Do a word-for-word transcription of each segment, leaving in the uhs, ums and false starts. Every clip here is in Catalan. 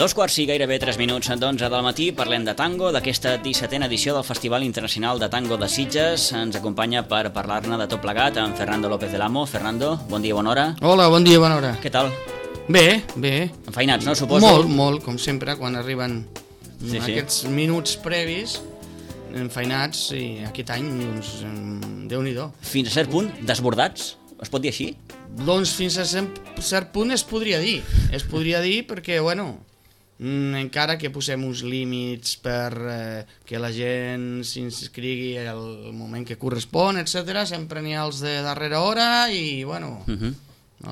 Dos quarts i gairebé tres minuts d'onze del matí, parlem de tango, d'aquesta dissetena edició del Festival Internacional de Tango de Sitges. Ens acompanya per parlar-ne de tot plegat en Fernando López del Amo. Fernando, bon dia, bona hora. Hola, bon dia, bona hora. Què tal? Bé, bé. Enfeinats, no, suposo? Molt, molt, com sempre, quan arriben sí, sí. aquests minuts previs, enfeinats, i aquest any, doncs, Déu-n'hi-do. Fins a cert punt, desbordats? Es pot dir així? Doncs fins a cert punt es podria dir. Es podria dir perquè, bueno, encara que posem uns límits per eh, que la gent s'inscrigui al moment que correspon, etcètera, sempre n'hi ha els de darrera hora i, bueno, uh -huh.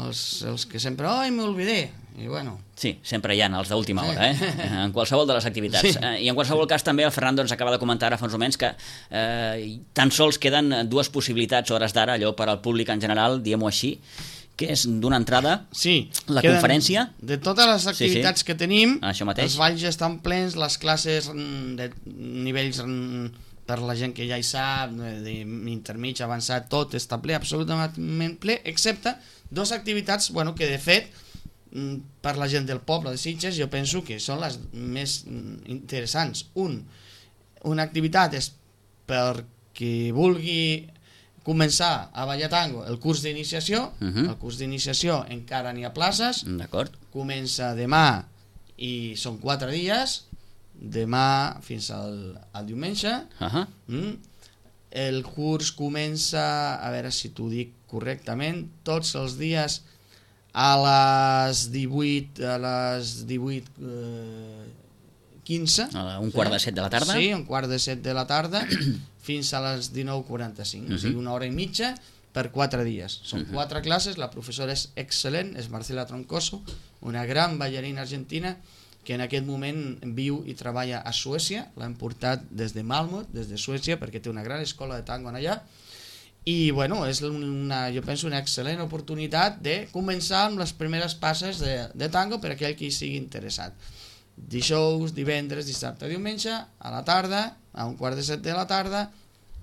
els, els que sempre, ai, m'olvidé, i bueno... Sí, sempre hi ha els d'última hora, eh? En qualsevol de les activitats. Sí. I en qualsevol cas també el Fernando ens acaba de comentar ara fa uns moments que eh, tan sols queden dues possibilitats hores d'ara, allò per al públic en general, diguem-ho així, que és d'una entrada, sí, la conferència... De totes les activitats sí, sí. que tenim, això mateix. Els balls estan plens, les classes de nivells per la gent que ja hi sap, d'intermig, avançat, tot està ple, absolutament ple, excepte dues activitats, bueno, que de fet, per la gent del poble de Sitges, jo penso que són les més interessants. Un, una activitat és per qui vulgui començar a ballar tango, el curs d'iniciació. uh -huh. El curs d'iniciació encara n'hi ha places. D'acord. Comença demà i són quatre dies, demà fins al, al diumenge. uh -huh. mm. El curs comença, a veure si t'ho dic correctament, tots els dies a les divuit a les divuit quinze, a un quart de set de la tarda. Sí, un quart de set de la tarda fins a les dinou quaranta-cinc, uh -huh. O sigui, una hora i mitja per quatre dies. Són uh -huh. quatre classes, la professora és excel·lent, és Marcela Troncoso, una gran ballarina argentina que en aquest moment viu i treballa a Suècia. L'han portat des de Malmö, des de Suècia, perquè té una gran escola de tango allà. I bueno, és una, jo penso, una excel·lent oportunitat de començar amb les primeres passes de, de tango per a aquell que hi sigui interessat. Dijous, divendres, dissabte, diumenge, a la tarda, a un quart de set de la tarda,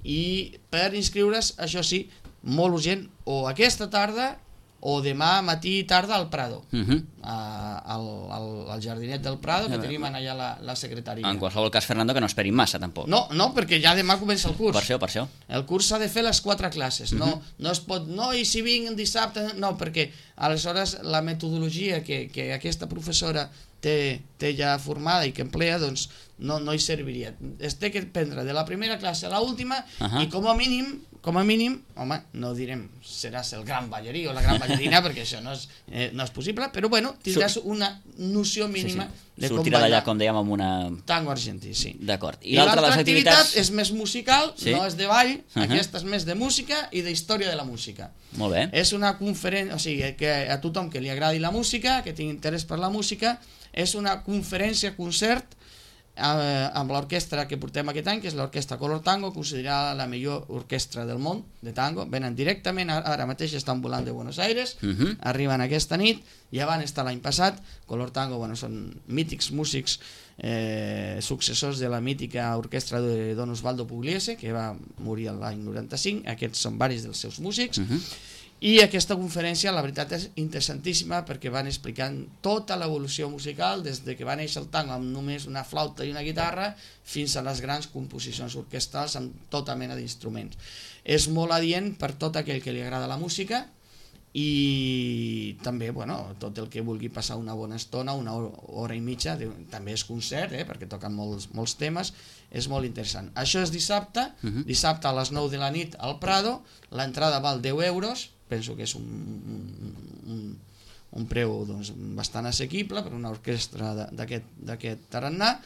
i per inscriure's, això sí, molt urgent, o aquesta tarda o demà matí i tarda al Prado, uh -huh. a, al, al, al jardinet del Prado, que tenim allà la, la secretaria. En qualsevol cas, Fernando, que no esperin massa, tampoc. No, no, perquè ja demà comença el curs. Per això, per això. El curs s'ha de fer les quatre classes, uh -huh. no, no es pot, no, i si vinc dissabte, no, perquè aleshores la metodologia que, que aquesta professora té, té ja formada i que emplea, doncs no, no hi serviria. Es té que prendre de la primera classe a l'última uh -huh. i com a mínim, com a mínim, home, no direm seràs el gran ballarí o la gran ballarina, perquè això no és, eh, no és possible, però bueno, tindràs una noció mínima sí, sí. de com sortirà d'allà, com dèiem, amb una... tango argentí, sí. D'acord. I, I l'altra de les activitat activitats és més musical, sí? No és de ball, uh -huh. Aquesta és més de música i d'història de la música. Molt bé. És una conferència, o sigui, que a tothom que li agradi la música, que tingui interès per la música, és una conferència-concert eh, amb l'orquestra que portem aquest any, que és l'orquestra Color Tango, considerada la millor orquestra del món de tango. Venen directament, ara mateix estan volant de Buenos Aires, uh -huh. arriben aquesta nit, ja van estar l'any passat. Color Tango, bueno, són mítics músics, eh, successors de la mítica orquestra de Don Osvaldo Pugliese, que va morir l'any noranta-cinc. Aquests són varis dels seus músics. Uh -huh. I aquesta conferència, la veritat, és interessantíssima perquè van explicant tota l'evolució musical des de que va néixer el tango amb només una flauta i una guitarra fins a les grans composicions orquestrals amb tota mena d'instruments. És molt adient per tot aquell que li agrada la música i també, bueno, tot el que vulgui passar una bona estona, una hora i mitja, també és concert, eh, perquè toquen molts, molts temes, és molt interessant. Això és dissabte, uh -huh. dissabte a les nou de la nit al Prado, l'entrada val deu euros, penso que és un, un, un preu doncs, bastant assequible per una orquestra d'aquest tarannà,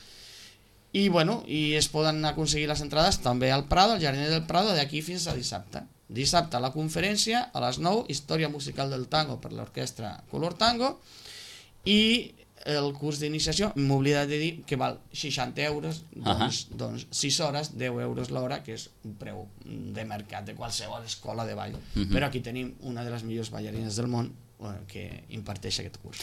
i, bueno, i es poden aconseguir les entrades també al Prado, al Jardiner del Prado, d'aquí fins a dissabte. Dissabte a la conferència, a les nou, història musical del tango per l'orquestra Color Tango, i el curs d'iniciació, m'oblida de dir que val seixanta euros, doncs, uh -huh. doncs sis hores, deu euros l'hora, que és un preu de mercat de qualsevol escola de ball. Uh -huh. Però aquí tenim una de les millors ballarines del món que imparteix aquest curs.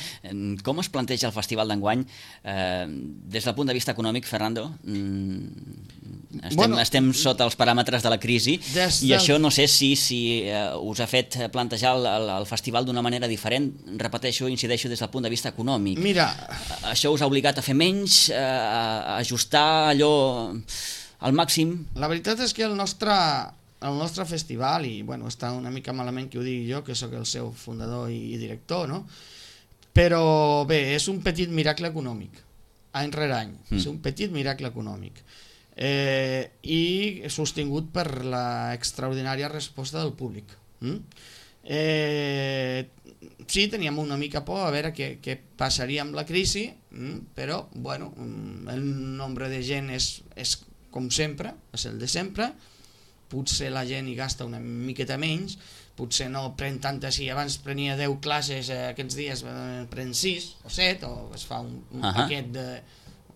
Com es planteja el festival d'enguany eh, des del punt de vista econòmic, Fernando? Estem, bueno, estem sota els paràmetres de la crisi i del... això no sé si, si eh, us ha fet plantejar el, el, el festival d'una manera diferent, repeteixo, incideixo des del punt de vista econòmic. Mira... Això us ha obligat a fer menys, eh, a ajustar allò al màxim? La veritat és que el nostre... el nostre festival, i bueno, està una mica malament que ho digui jo, que sóc el seu fundador i, i director, no? Però bé, és un petit miracle econòmic, any rere any, mm. és un petit miracle econòmic, eh, i sostingut per la extraordinària resposta del públic. Mm? Eh, sí, teníem una mica por a veure què, què passaria amb la crisi, mm? però bueno, el nombre de gent és, és com sempre, és el de sempre. Potser la gent hi gasta una miqueta menys, potser no pren tantes, si abans prenia deu classes, eh, aquests dies pren sis o set, o es fa un, un uh -huh. paquet de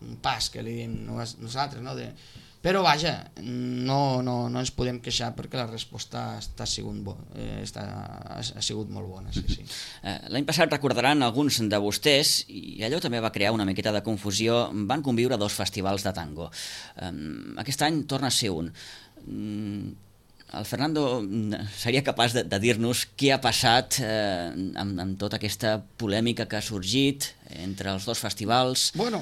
un pas que li diem nosaltres, no? De, però vaja, no, no, no ens podem queixar perquè la resposta està sigut bo, eh, està, ha sigut molt bona. Sí, sí. L'any passat recordaran alguns de vostès, i allò també va crear una miqueta de confusió, van conviure dos festivals de tango. Aquest any torna a ser un. El Fernando seria capaç de, de dir-nos què ha passat eh, amb, amb tota aquesta polèmica que ha sorgit entre els dos festivals? Bueno,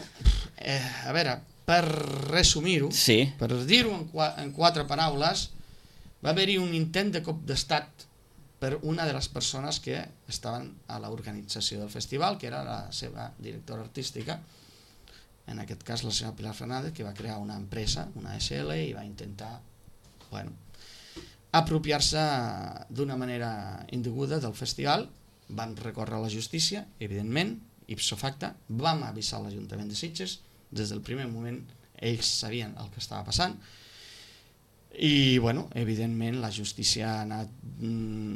eh, a veure, per resumir-ho, sí. per dir-ho en, en quatre paraules, va haver-hi un intent de cop d'estat per una de les persones que estaven a l'organització del festival, que era la seva directora artística, en aquest cas la senyora Pilar Fernández, que va crear una empresa, una S L, i va intentar bueno, apropiar-se d'una manera indeguda del festival. Van recórrer a la justícia, evidentment, ipso facto, vam avisar l'Ajuntament de Sitges, des del primer moment ells sabien el que estava passant, i bueno, evidentment la justícia ha, anat,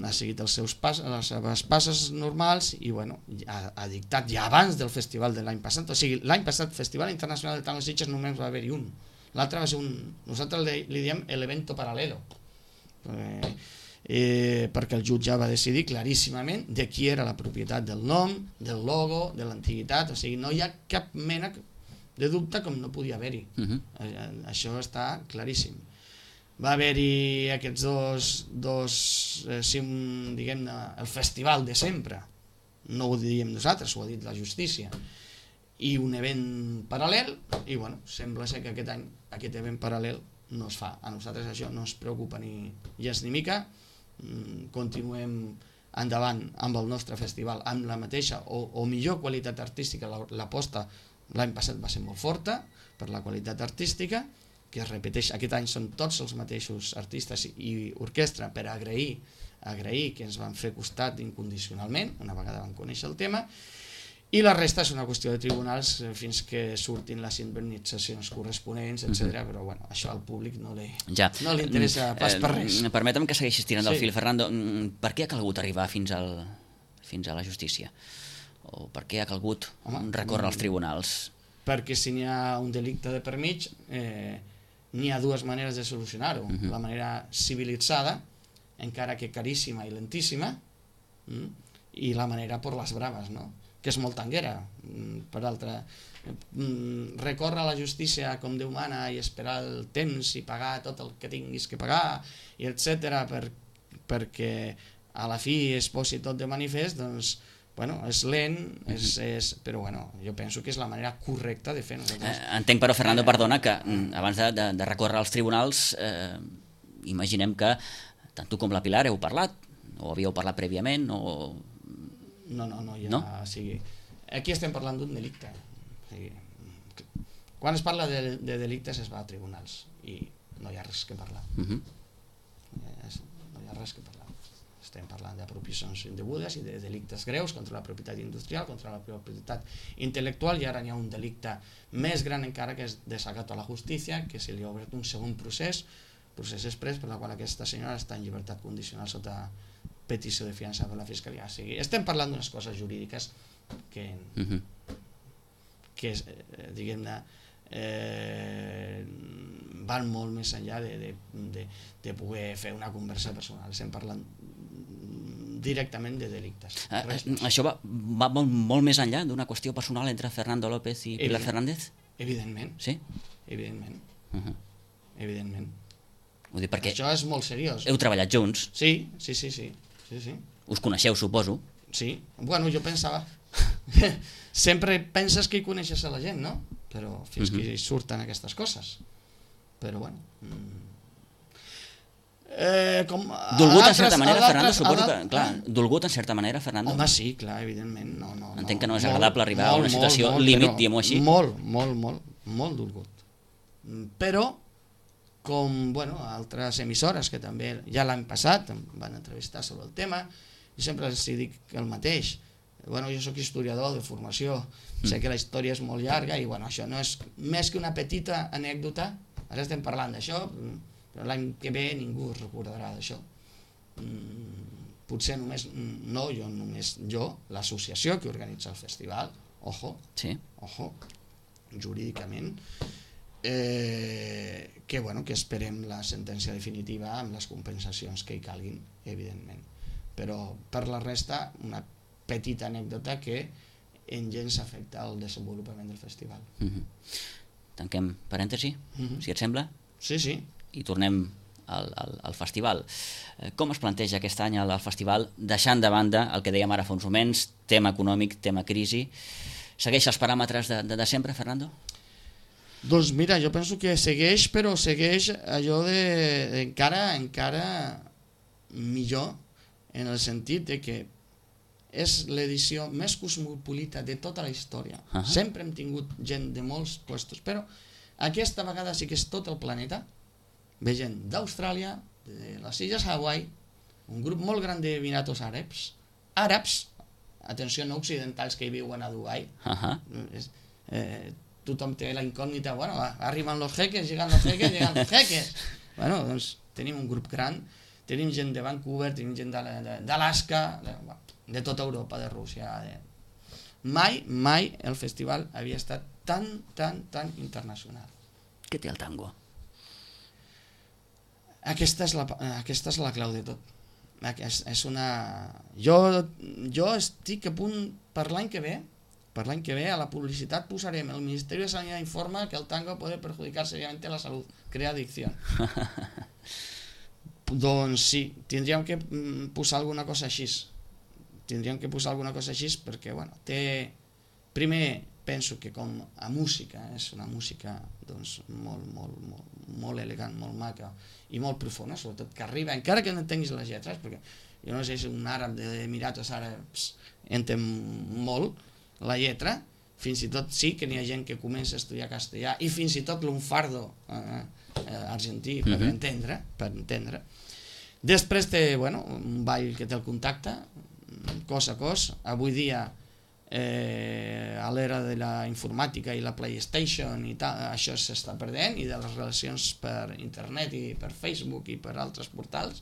ha seguit els seus pas, les seves passes normals i bueno, ha, ha dictat ja abans del festival de l'any passat, o sigui, l'any passat Festival Internacional de Tango de Sitges només va haver-hi un. L'altre va ser un... Nosaltres li, li diem l'evento paralelo, eh, eh, perquè el jutge va decidir claríssimament de qui era la propietat del nom, del logo, de l'antiguitat, o sigui, no hi ha cap mena de dubte com no podia haver-hi. Uh-huh. eh, això està claríssim. Va haver-hi aquests dos, dos eh, si un, diguem-ne, el festival de sempre, no ho diem nosaltres, ho ha dit la justícia, i un event paral·lel, i bueno, sembla ser que aquest any aquest event paral·lel no es fa. A nosaltres això no ens preocupa ni gens ni mica, continuem endavant amb el nostre festival amb la mateixa o, o millor qualitat artística. L'aposta l'any passat va ser molt forta per la qualitat artística, que es repeteix, aquest any són tots els mateixos artistes i orquestra per agrair, agrair que ens van fer costat incondicionalment una vegada vam conèixer el tema, i la resta és una qüestió de tribunals fins que surtin les indemnitzacions corresponents, etcètera. Però bueno, això al públic no li, ja. no li interessa pas per res. Eh, permetem que segueixis tirant del sí. fil, Fernando. Per què ha calgut arribar fins, al, fins a la justícia? O per què ha calgut Home, recórrer als tribunals? Perquè si n'hi ha un delicte de per mig, eh, n'hi ha dues maneres de solucionar-ho. Uh-huh. La manera civilitzada, encara que caríssima i lentíssima, mm, i la manera per les braves, no? Que és molt tanguera. Per altra, recórrer a la justícia com Déu mana i esperar el temps i pagar tot el que tinguis que pagar, i etcètera, per, perquè a la fi es posi tot de manifest, doncs bueno, és lent, és, és, però bueno, jo penso que és la manera correcta de fer. Nosaltres. Eh, entenc, però, Fernando, perdona, que abans de, de, de recórrer als tribunals, eh, imaginem que tant tu com la Pilar heu parlat, o havíeu parlat prèviament, o... No, no, no, ja, no? O sigui, aquí estem parlant d'un delicte. O sigui, quan es parla de, de delictes es va a tribunals i no hi ha res que parlar. Uh-huh. No hi ha res que parlar. Estem parlant d'apropiacions indegudes i de delictes greus contra la propietat industrial, contra la propietat intel·lectual, i ara hi ha un delicte més gran encara, que és desacat a la justícia, que se li ha obert un segon procés, procés express, per la qual aquesta senyora està en llibertat condicional sota petició de fiança per la Fiscalia. O sigui, estem parlant d'unes coses jurídiques que, uh-huh. que eh, diguem-ne, eh, van molt més enllà de, de, de, de poder fer una conversa personal. Estem parlant directament de delictes. Uh, això va, va molt, molt més enllà d'una qüestió personal entre Fernando López i Pilar Fernández? Evidentment. Sí? Evidentment. Uh -huh. Evidentment. Ho dic perquè... Això és molt seriós. Heu treballat junts? Sí, sí, sí, sí. sí, sí. Us coneixeu, suposo? Sí. Bueno, jo pensava... Sempre penses que hi coneixes a la gent, no? Però fins uh -huh. que surten aquestes coses. Però bueno... Eh, com dolgut en certa manera, Fernando, suposo que... Clar, dolgut en certa manera, Fernando? Home, sí, clar, evidentment. No, no, Entenc no, que no és molt, agradable arribar molt, a una situació molt, límit, diguem-ho així. Molt, molt, molt, molt dolgut. Però, com, bueno, altres emissores que també ja l'any passat em van entrevistar sobre el tema, jo sempre els dic el mateix. Bueno, jo sóc historiador de formació, sé que la història és molt llarga i bueno, això no és més que una petita anècdota. Ara estem parlant d'això, però l'any que ve ningú es recordarà d'això. Potser només, no jo només, jo, l'associació que organitza el festival, ojo, sí. ojo, jurídicament, eh, que, bueno, que esperem la sentència definitiva amb les compensacions que hi calguin, evidentment. Però per la resta, una petita anècdota que en gens afecta el desenvolupament del festival. Mm-hmm. Tanquem parèntesi, mm-hmm. si et sembla? Sí, sí. I tornem al, al, al festival. Com es planteja aquest any el festival, deixant de banda el que dèiem ara fa uns moments, tema econòmic, tema crisi? Segueix els paràmetres de, de, de sempre, Fernando? Doncs mira, jo penso que segueix, però segueix allò de, de encara, encara millor, en el sentit de que és l'edició més cosmopolita de tota la història. Uh -huh. Sempre hem tingut gent de molts puestos, però aquesta vegada sí que és tot el planeta. Ve gent d'Austràlia, de les illes Hawaii, un grup molt gran d'Emiratos Àrabs, àrabs, atenció, no occidentals que hi viuen a Dubai. Uh -huh. eh, tothom té la incògnita, bueno, arriben los jeques, llegan los jeques, llegan los jeques. Bueno, doncs tenim un grup gran, tenim gent de Vancouver, tenim gent d'Alaska, de, de tota Europa, de Rússia. De... Mai, mai el festival havia estat tan, tan, tan internacional. Què té el tango? Aquesta és la, aquesta és la clau de tot. És, és una... Jo, jo estic a punt, per l'any que ve, per l'any que ve a la publicitat posarem el Ministeri de Sanidad informa que el tango puede perjudicar seriamente la salud, crea adicción. Doncs sí, tindríem que posar alguna cosa així. Tindríem que posar alguna cosa així perquè, bueno, té... Primer, penso que com a música, és una música doncs, molt, molt, molt, molt elegant, molt maca i molt profunda, sobretot que arriba, encara que no entenguis les lletres, perquè jo no sé si un àrab d'Emiratos Àrabs entén molt la lletra, fins i tot sí que n'hi ha gent que comença a estudiar castellà i fins i tot l'unfardo eh, eh, argentí per, uh-huh. entendre, per entendre. Després té, bueno, un ball que té el contacte, cos a cos. Avui dia, eh, a l'era de la informàtica i la PlayStation i tal, això s'està perdent, i de les relacions per internet i per Facebook i per altres portals,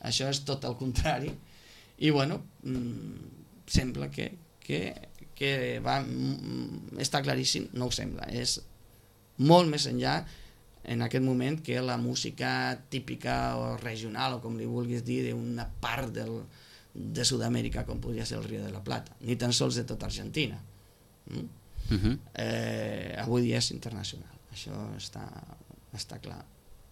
això és tot el contrari. I bueno, sembla que, que, que va, està claríssim, no ho sembla, és molt més enllà en aquest moment que la música típica o regional, o com li vulguis dir, d'una part del, de Sud-amèrica, com podria ser el Río de la Plata, ni tan sols de tota Argentina. Mm? Uh-huh. eh, avui dia és internacional, això està, està clar.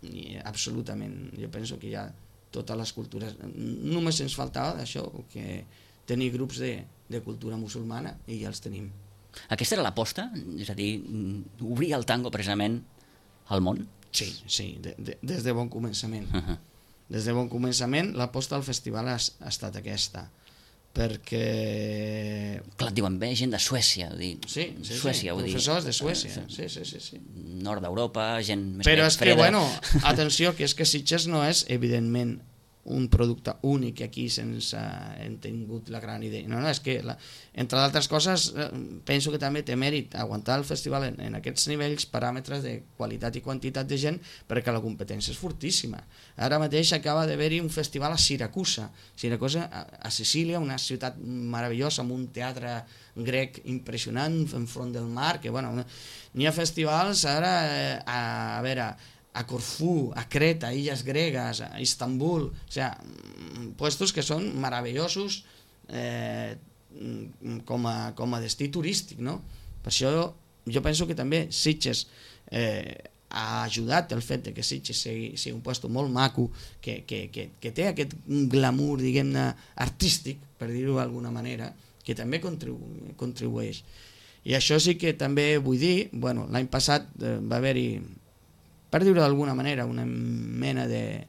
I absolutament, jo penso que hi ha totes les cultures. Només ens faltava d'això, que tenir grups de, de cultura musulmana, i ja els tenim. Aquesta era l'aposta? És a dir, obrir el tango precisament al món? Sí, sí, de, de, des de bon començament. Uh-huh. Des de bon començament l'aposta al festival ha, ha estat aquesta, perquè... Clar, et diuen, ve gent de Suècia, dir, sí, sí, Suècia, sí, professors de Suècia, sí, sí, sí, sí. Nord d'Europa, gent més Però és freda. que, bueno, atenció, que és que Sitges no és, evidentment, un producte únic aquí sense hem tingut la gran idea. No, no, és que, la, entre d'altres coses, penso que també té mèrit aguantar el festival en, en aquests nivells, paràmetres de qualitat i quantitat de gent, perquè la competència és fortíssima. Ara mateix acaba d'haver-hi un festival a Siracusa, Siracusa a, a Sicília, una ciutat meravellosa, amb un teatre grec impressionant enfront del mar, que, bueno, n'hi ha festivals ara, a, a veure, a Corfú, a Creta, a Illes Gregues, a Istanbul, o sea, puestos que són meravellosos eh, com, a, com a destí turístic, no? Per això jo penso que també Sitges eh, ha ajudat el fet de que Sitges sigui, sigui un lloc molt maco, que, que, que, que té aquest glamour, diguem-ne, artístic, per dir-ho d'alguna manera, que també contribu contribueix. I això sí que també vull dir, bueno, l'any passat eh, va haver-hi, per dir-ho d'alguna manera, una mena de,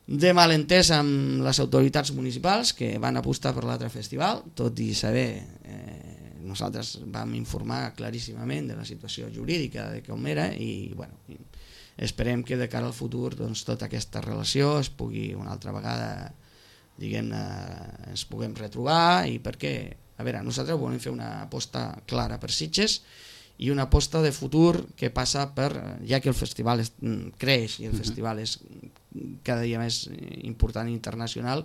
de malentès amb les autoritats municipals que van apostar per l'altre festival, tot i saber, eh, nosaltres vam informar claríssimament de la situació jurídica de com era i bueno, esperem que de cara al futur doncs, tota aquesta relació es pugui una altra vegada, diguem-ne, ens puguem retrobar i perquè, a veure, nosaltres volem fer una aposta clara per Sitges i una aposta de futur que passa per, ja que el festival es, creix i el festival és cada dia més important i internacional,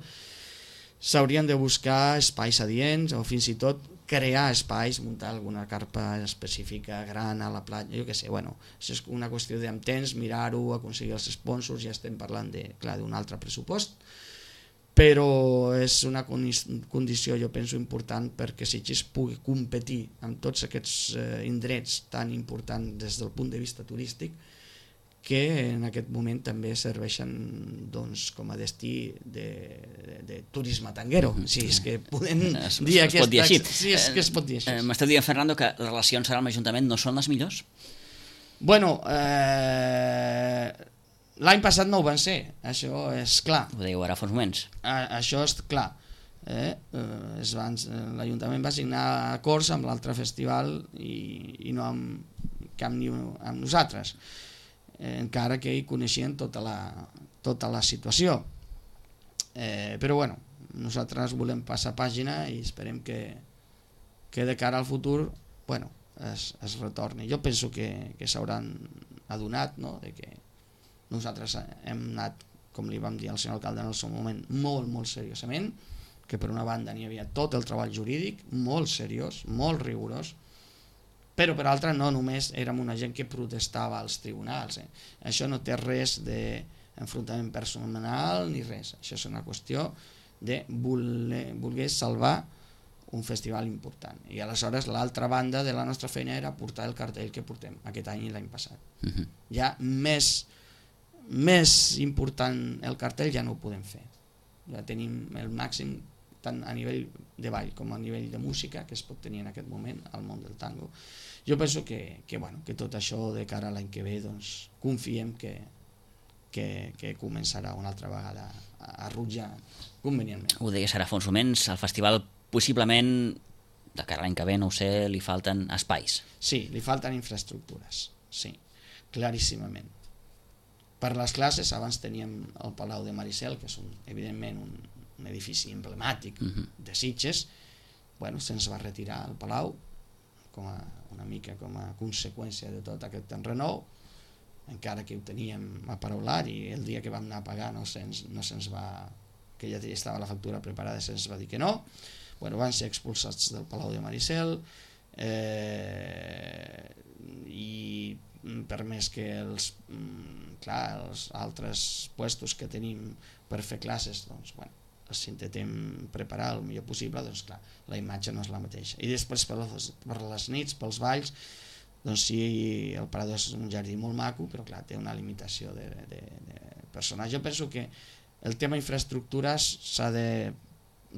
s'haurien de buscar espais adients o fins i tot crear espais, muntar alguna carpa específica gran a la platja, jo què sé, bueno, això és una qüestió d'amb temps, mirar-ho, aconseguir els sponsors, ja estem parlant de, clar, d'un altre pressupost, però és una condició, jo penso, important perquè Sitges pugui competir amb tots aquests eh, indrets tan importants des del punt de vista turístic que en aquest moment també serveixen doncs, com a destí de, de, de turisme tanguero, si és que podem es, dir es aquesta... Pot dir així. Si és que es pot dir així. Eh, M'esteu dient, Fernando, que les relacions ara amb l'Ajuntament no són les millors? Bueno, eh, l'any passat no ho van ser, això és clar. Ho dèieu ara fa uns moments. A, això és clar. Eh? Eh, L'Ajuntament va signar acords amb l'altre festival i, i no amb, cap ni amb nosaltres, eh, encara que hi coneixien tota la, tota la situació. Eh, però bueno, nosaltres volem passar pàgina i esperem que, que de cara al futur bueno, es, es retorni. Jo penso que, que s'hauran adonat, no?, de que nosaltres hem anat, com li vam dir al senyor alcalde en el seu moment, molt, molt seriosament, que per una banda n'hi havia tot el treball jurídic, molt seriós, molt rigorós, però per altra no només érem una gent que protestava als tribunals. Eh? Això no té res d'enfrontament personal ni res. Això és una qüestió de voler, voler salvar un festival important. I aleshores l'altra banda de la nostra feina era portar el cartell que portem aquest any i l'any passat. Uh-huh. Ja més més important el cartell ja no ho podem fer, ja tenim el màxim tant a nivell de ball com a nivell de música que es pot tenir en aquest moment al món del tango. Jo penso que, que, bueno, que tot això de cara a l'any que ve doncs, confiem que, que, que començarà una altra vegada a, a rutllar convenientment. Ho deies ara fa uns moments, el festival possiblement de cara a l'any que ve, no ho sé, li falten espais. Sí, li falten infraestructures, sí, claríssimament. Per les classes, abans teníem el Palau de Maricel, que és un, evidentment un, un edifici emblemàtic uh-huh. de Sitges. Bueno, se'ns va retirar el Palau, com a, una mica com a conseqüència de tot aquest enrenou, encara que ho teníem aparaulat i el dia que vam anar a pagar no se'ns no se va, que ja estava la factura preparada, se'ns va dir que no. Bueno, van ser expulsats del Palau de Maricel eh, i per més que els, clar, els altres puestos que tenim per fer classes doncs, bueno, els intentem preparar el millor possible, doncs clar, la imatge no és la mateixa. I després per les, per les nits, pels balls, doncs sí, el Parador és un jardí molt maco, però clar, té una limitació de, de, de personal. Jo penso que el tema infraestructures s'ha de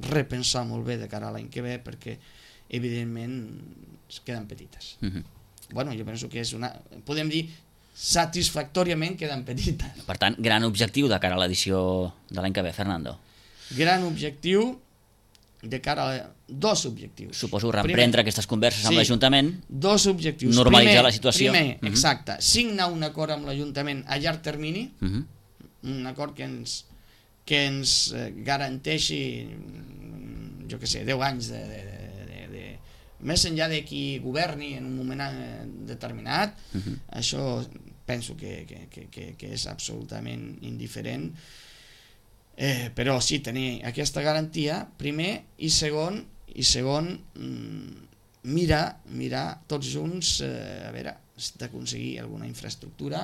repensar molt bé de cara a l'any que ve perquè evidentment es queden petites. Uh-huh. Bueno, jo penso que és una... podem dir satisfactòriament queden petites. Per tant, gran objectiu de cara a l'edició de l'any que ve, Fernando. Gran objectiu de cara a... La... dos objectius. Suposo reprendre primer, aquestes converses amb sí, l'Ajuntament. Dos objectius. Normalitzar primer, la situació. Primer, uh-huh. exacte, signar un acord amb l'Ajuntament a llarg termini, uh-huh. un acord que ens, que ens garanteixi, jo què sé, deu anys de... de, de més enllà de qui governi en un moment determinat, uh-huh. això penso que, que, que, que és absolutament indiferent, eh, però sí tenir aquesta garantia, primer, i segon, i segon mirar, mirar tots junts, eh, a veure, d'aconseguir alguna infraestructura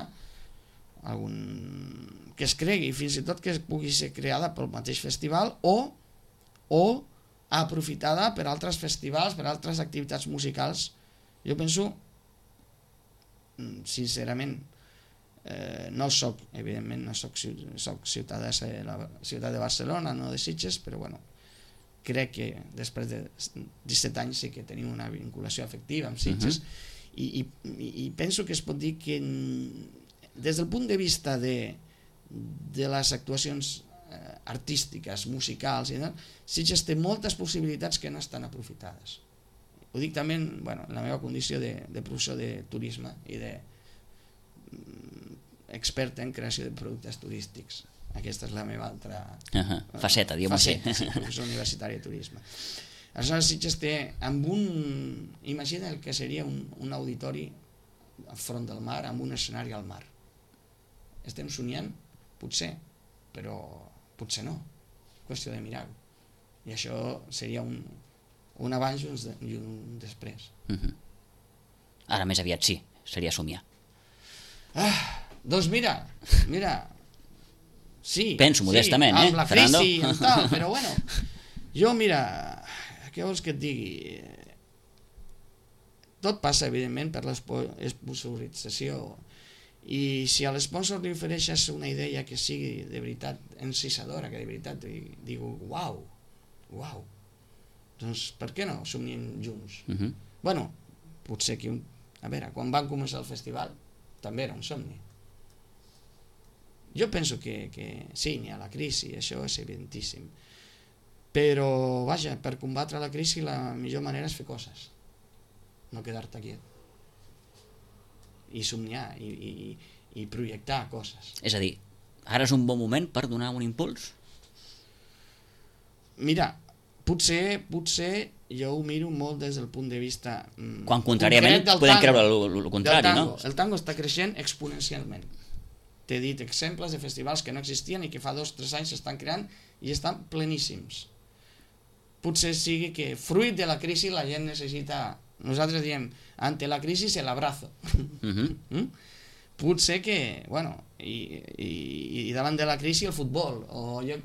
algun que es cregui, fins i tot que pugui ser creada pel mateix festival o, o aprofitada per altres festivals, per altres activitats musicals. Jo penso, sincerament, eh, no soc, evidentment, no soc, soc ciutadà de la ciutat de Barcelona, no de Sitges, però bueno, crec que després de disset anys sí que tenim una vinculació afectiva amb Sitges. Uh-huh. I, i, i penso que es pot dir que des del punt de vista de, de les actuacions eh, artístiques, musicals, i tal, Sitges té moltes possibilitats que no estan aprofitades. Ho dic també bueno, en la meva condició de, de professor de turisme i de mm, expert en creació de productes turístics. Aquesta és la meva altra uh-huh. faceta, diguem-ho així. Sí, professor universitari de turisme. Aleshores Sitges té amb un... Imagina el que seria un, un auditori al front del mar, amb un escenari al mar. Estem somiant? Potser, però potser no. Qüestió de mirar-ho. I això seria un, un abans i un després. Uh-huh. Ara més aviat sí, seria somiar. Ah, doncs mira, mira, sí. Penso modestament, sí, eh, amb la Fernando? crisi i tal, però bueno, jo mira, què vols que et digui? Tot passa, evidentment, per l'esponsorització. I si a l'esponsor li ofereixes una idea que sigui de veritat encisadora, que de veritat diu, uau, uau, doncs per què no somniem junts? Uh-huh. Bueno, potser que un... A veure, quan van començar el festival també era un somni. Jo penso que, que sí, n'hi ha la crisi, això és evidentíssim. Però, vaja, per combatre la crisi la millor manera és fer coses, no quedar-te quiet. I somniar, i, i, i projectar coses. És a dir, ara és un bon moment per donar un impuls? Mira, potser, potser jo ho miro molt des del punt de vista mm, quan contràriament podem creure el contrari, no? El tango està creixent exponencialment. T'he dit exemples de festivals que no existien i que fa dos o tres anys s'estan creant i estan pleníssims. Potser sigui que fruit de la crisi la gent necessita, nosaltres diem, ante la crisi el abrazo. Uh-huh. mm? Potser que, bueno, i, i, i davant de la crisi el futbol, o jo,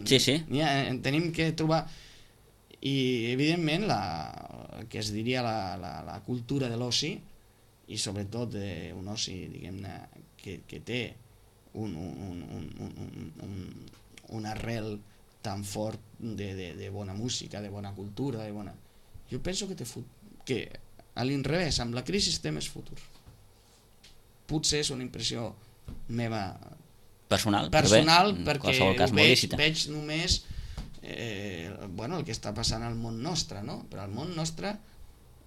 sí, sí. Ja, tenim que trobar... I evidentment la, el que es diria la, la, la cultura de l'oci, i sobretot eh, un oci, diguem-ne, que, que té un, un, un, un, un, un arrel tan fort de, de, de bona música, de bona cultura, de bona... Jo penso que té fut... que a l'inrevés, amb la crisi té més futur. Potser és una impressió meva personal, personal bé, perquè cas veig, veig només eh, bueno, el que està passant al món nostre, no? Però al món nostre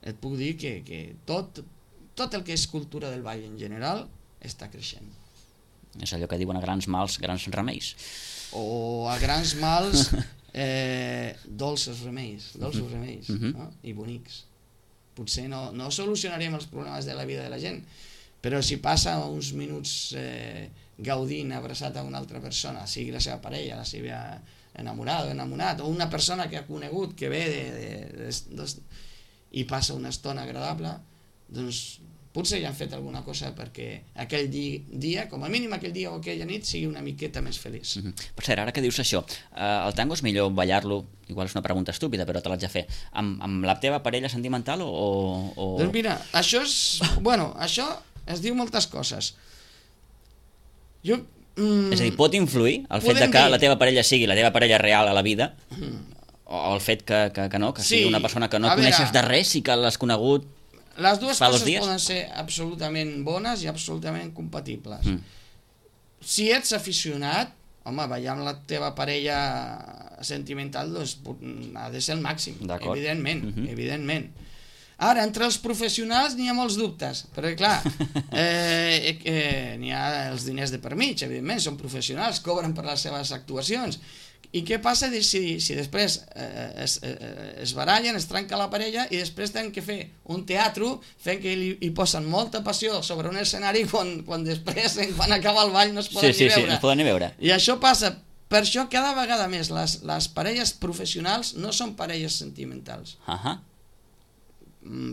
et puc dir que, que tot, tot el que és cultura del ball en general està creixent. És allò que diuen a grans mals, grans remeis. O a grans mals eh, dolces remeis, dolços uh-huh. remeis, uh-huh. no? I bonics. Potser no, no solucionarem els problemes de la vida de la gent, però si passa uns minuts eh, gaudint abraçat a una altra persona, sigui la seva parella, la seva enamorada o enamorat, o una persona que ha conegut que ve de, de, de, de, de, i passa una estona agradable, doncs potser ja han fet alguna cosa perquè aquell dia, dia, com a mínim aquell dia o aquella nit, sigui una miqueta més feliç. Mm-hmm. Per cert, ara que dius això, eh, el tango és millor ballar-lo, igual és una pregunta estúpida, però te l'haig de fer, amb, amb la teva parella sentimental o, o... Doncs mira, això és... Bueno, això es diu moltes coses. Jo... Mm, és a dir, pot influir el fet de que dir... la teva parella sigui la teva parella real a la vida, mm. o el fet que, que, que no, que sí, sigui una persona que no coneixes de res i que l'has conegut les dues fa coses dos dies? Poden ser absolutament bones i absolutament compatibles. Mm. Si ets aficionat, home, ballar amb la teva parella sentimental doncs, ha de ser el màxim, evidentment, mm-hmm. evidentment. Ara, entre els professionals n'hi ha molts dubtes, perquè clar, eh, eh, n'hi ha els diners de per mig, evidentment, són professionals, cobren per les seves actuacions. I què passa si, si després eh, es, eh, es barallen, es trenca la parella i després tenen que fer un teatre fent que hi, hi posen molta passió sobre un escenari quan, quan després, quan acaba el ball, no es poden, sí, ni, sí, veure. Sí, no es poden ni veure. I això passa. Per això cada vegada més les, les parelles professionals no són parelles sentimentals. Uh-huh.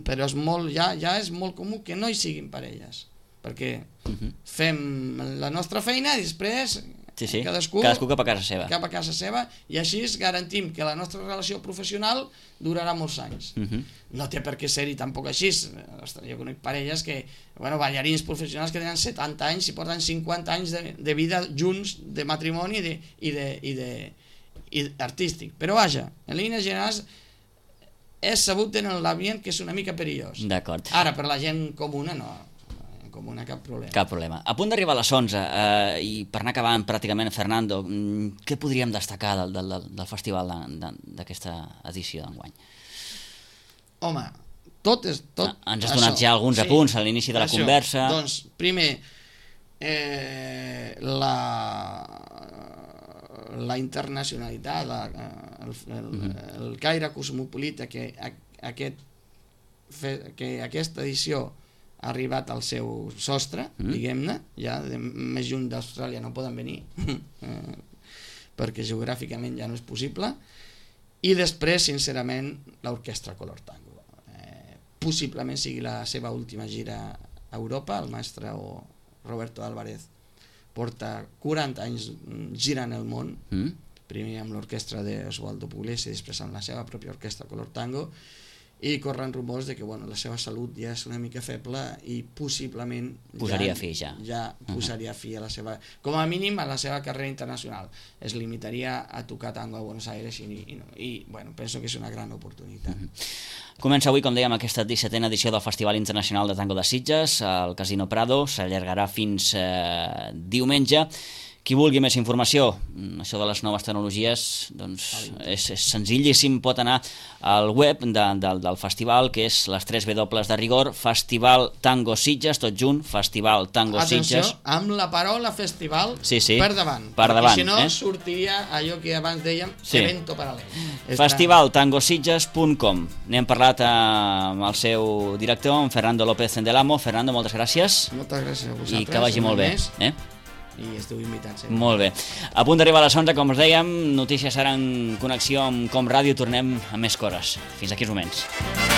Però és molt, ja, ja és molt comú que no hi siguin parelles. perquè Uh-huh. fem la nostra feina i després Sí, sí. cadascú, cadascú cap a casa seva. cap a casa seva, i així garantim que la nostra relació professional durarà molts anys. Uh-huh. No té per què ser-hi tampoc així. Ostres, jo conec parelles que, bueno, ballarins professionals que tenen setanta anys i porten cinquanta anys de, de vida junts, de matrimoni i de, i de, i de, i artístic. Però vaja, en línies generals és sabut en l'ambient que és una mica perillós. D'acord. Ara, per la gent comuna, no. En comuna cap problema. Cap problema. A punt d'arribar a les onze, eh, i per anar acabant pràcticament, Fernando, mm, què podríem destacar del, del, del festival d'aquesta edició d'enguany? Home, tot és... Tot Ah, ens has donat ja alguns sí, apunts a l'inici de la això. conversa. Doncs, primer, eh, la, la internacionalitat, la, el, el, Mhm. el caire cosmopolita que, a, aquest, fe, que aquesta edició ha arribat al seu sostre, Mm. diguem-ne, ja de, més lluny d'Austràlia no poden venir, eh, perquè geogràficament ja no és possible, i després, sincerament, l'Orquestra Color Tango. Eh, possiblement sigui la seva última gira a Europa, el mestre Roberto Álvarez porta quaranta anys girant el món, Mm? primer amb l'orquestra d'Osvaldo Pugliese i després amb la seva pròpia orquestra Color Tango, i corren rumors de que bueno, la seva salut ja és una mica feble i possiblement Posaria ja, fi ja. ja posaria fi a la seva, com a mínim a la seva carrera internacional. Es limitaria a tocar tango a Buenos Aires i, i, no, i bueno, penso que és una gran oportunitat. Mm-hmm. Comença avui, com dèiem, aquesta dissetena edició del Festival Internacional de Tango de Sitges al Casino Prado, s'allargarà fins eh, diumenge. Qui vulgui més informació, això de les noves tecnologies, doncs és, és senzillíssim, pot anar al web de, de, del festival, que és les tres W de rigor, Festival Tango Sitges, tot junt, Festival Tango Atenció, Sitges. amb la paraula festival Sí, sí, per davant, per perquè davant, si no eh? sortiria allò que abans dèiem, Sí. evento paral·lel. festival tango sitges punt com. N'hem parlat amb el seu director, en Fernando López Delamo. Fernando, moltes gràcies. Moltes gràcies a vosaltres. I que vagi molt bé. Més, Eh? I esteu invitats. Eh? Molt bé. A punt d'arribar a les onze, com us dèiem, notícies ara en connexió amb Com Ràdio. Tornem a més cores. Fins aquí uns moments.